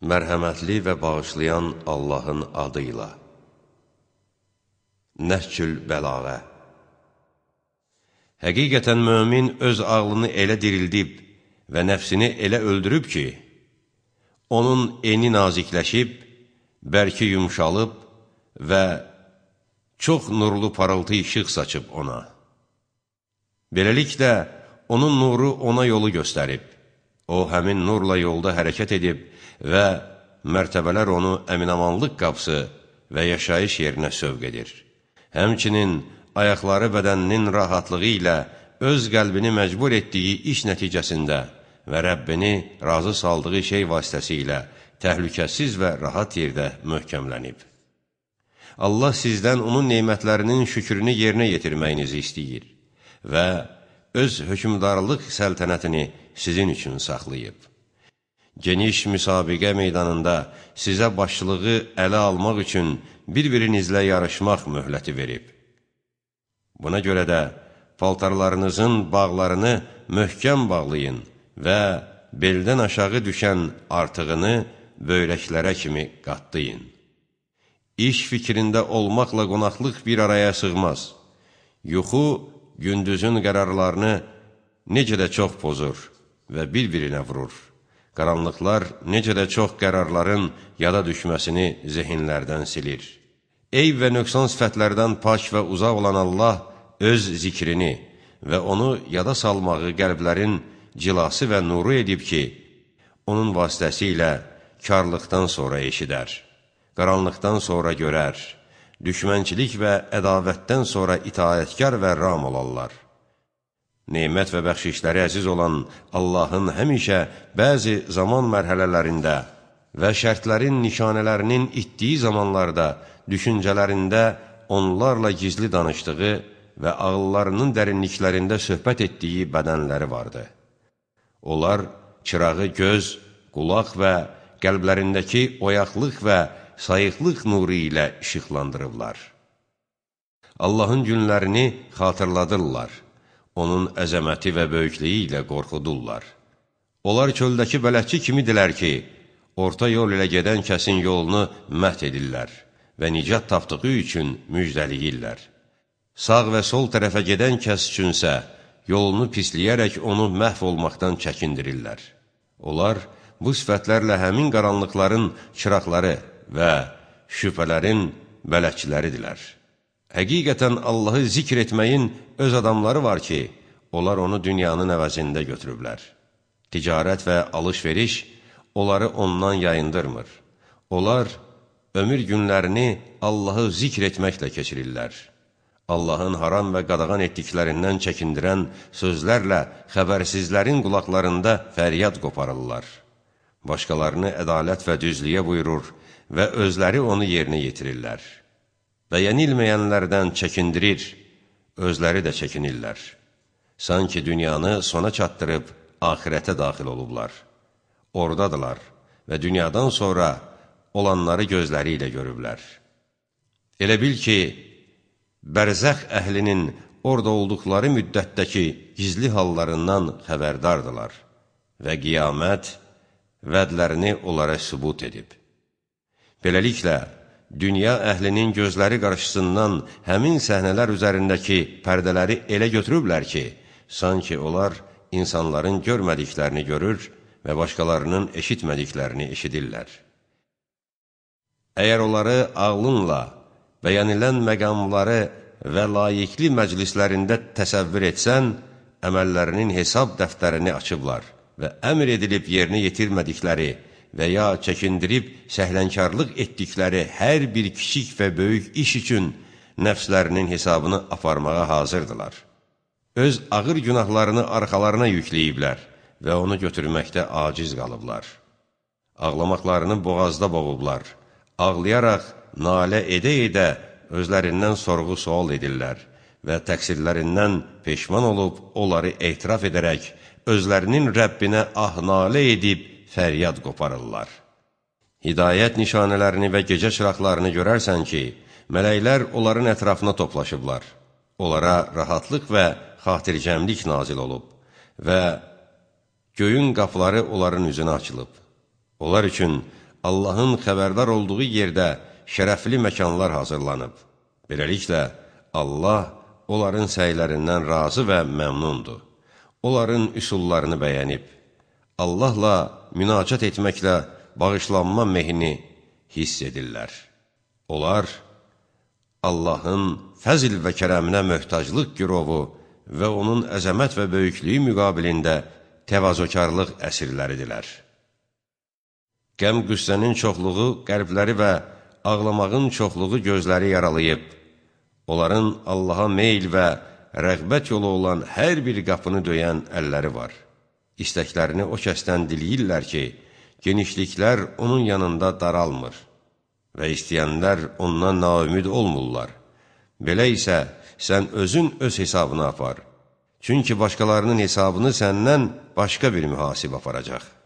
Mərhəmətli və bağışlayan Allahın adıyla. Nəhcül Bəlağə. Həqiqətən mömin öz ağlını elə dirildib və nəfsini elə öldürüb ki, onun eni nazikləşib, bərki yumşalıb və çox nurlu parıltı işıq saçıb ona. Beləliklə, onun nuru ona yolu göstərib. O, həmin nurla yolda hərəkət edib və mərtəbələr onu əminamanlıq qapısı və yaşayış yerinə sövq edir. Həmçinin ayaqları bədəninin rahatlığı ilə öz qəlbini məcbur etdiyi iş nəticəsində və Rəbbini razı saldığı şey vasitəsilə təhlükəsiz və rahat yerdə möhkəmlənib. Allah sizdən onun nemətlərinin şükrünü yerinə yetirməyinizi istəyir və öz hökmdarlıq səltənətini sizin üçün saxlayıb. Geniş müsabiqə meydanında sizə başçılığı ələ almaq üçün bir-birinizlə yarışmaq möhləti verib. Buna görə də paltarlarınızın bağlarını möhkəm bağlayın və beldən aşağı düşən artığını böyrəklərə kimi qatlayın. İş fikrində olmaqla qonaqlıq bir araya sığmaz. Yuxu gündüzün qərarlarını necə də çox pozur və bir-birinə vurur. Qaranlıqlar necə də çox qərarların yada düşməsini zehinlərdən silir. Eyb və nöqsan sifətlərdən pak və uzaq olan Allah öz zikrini və onu yada salmağı qəlblərin cilası və nuru edib ki, onun vasitəsilə karlıqdan sonra eşidər, qaranlıqdan sonra görər, düşmənçilik və ədavətdən sonra itaətkar və ram olarlar. Nemət və bəxşişləri əziz olan Allahın həmişə bəzi zaman mərhələlərində və şərtlərin nişanələrinin itdiyi zamanlarda düşüncələrində onlarla gizli danışdığı və ağıllarının dərinliklərində söhbət etdiyi bədənləri vardı. Onlar çırağı göz, qulaq və qəlblərindəki oyaqlıq və sayıqlıq nuru ilə işıqlandırırlar. Allahın günlərini xatırladırlar. Onun əzəməti və böyüklüyü ilə qorxudurlar. Onlar çöldəki bələdçi kimidirlər ki, orta yol ilə gedən kəsin yolunu məhv edirlər və nicat tapdığı üçün müjdəliyirlər. Sağ və sol tərəfə gedən kəs üçünsə, yolunu pisləyərək onu məhv olmaqdan çəkindirirlər. Onlar bu sifətlərlə həmin qaranlıqların çıraqları və şübhələrin bələdçiləridirlər. Həqiqətən Allahı zikr etməyin öz adamları var ki, onlar onu dünyanın əvəzində götürüblər. Ticarət və alış-veriş onları ondan yayındırmır. Onlar ömür günlərini Allahı zikr etməklə keçirirlər. Allahın haram və qadağan etdiklərindən çəkindirən sözlərlə xəbərsizlərin qulaqlarında fəryad qoparırlar. Başqalarını ədalət və düzlüyə buyurur və özləri onu yerinə yetirirlər. Və yenilməyənlərdən çəkindirir, özləri də çəkinirlər. Sanki dünyanı sona çatdırıb axirətə daxil olublar. Oradadılar və dünyadan sonra olanları gözləri ilə görüblər. Elə bil ki, bərzəx əhlinin orada olduqları müddətdəki gizli hallarından xəbərdardılar və qiyamət vədlərini onlara sübut edib. Beləliklə, dünya əhlinin gözləri qarşısından həmin səhnələr üzərindəki pərdələri elə götürüblər ki, sanki onlar insanların görmədiklərini görür və başqalarının eşitmədiklərini eşidirlər. Əgər onları ağlınla bəyənilən məqamları və layiqli məclislərində təsəvvür etsən, əməllərinin hesab dəftərini açıblar və əmr edilib yerinə yetirmədikləri və ya çəkindirib səhlənkarlıq etdikləri hər bir kiçik və böyük iş üçün nəfslərinin hesabını aparmağa hazırdılar. Öz ağır günahlarını arxalarına yükləyiblər və onu götürməkdə aciz qalıblar. Ağlamaqlarını boğazda boğublar, ağlayaraq, nalə edə-edə özlərindən sorğu-sual edirlər və təqsirlərindən peşman olub, onları etiraf edərək, özlərinin Rəbbinə ah-nalə edib, fəryad qoparırlar. Hidayət nişanələrini və gecə çıraqlarını görərsən ki, mələklər onların ətrafına toplaşıblar. Onlara rahatlıq və xatircəmlik nazil olub və göyün qapıları onların üzünə açılıb. Onlar üçün Allahın xəbərdar olduğu yerdə şərəfli məkanlar hazırlanıb. Beləliklə, Allah onların səylərindən razı və məmnundur. Onların üsullarını bəyənib. Allahla münacat etməklə bağışlanma mehini hiss edirlər. Onlar Allahın fəzl və kərəminə möhtaclıq gürovu və onun əzəmət və böyüklüyü müqabilində təvazökarlıq əsirləridirlər. Qəm-qüssənin çoxluğu qəlbləri və ağlamağın çoxluğu gözləri yaralayıb, onların Allaha meyl və rəğbət yolu olan hər bir qapını döyən əlləri var. İstəklərini o kəsdən diləyirlər ki, genişliklər onun yanında daralmır və istəyənlər ondan naümid olmurlar. Belə isə sən özün öz hesabını apar. Çünki başqalarının hesabını səndən başqa bir mühasib aparacaq.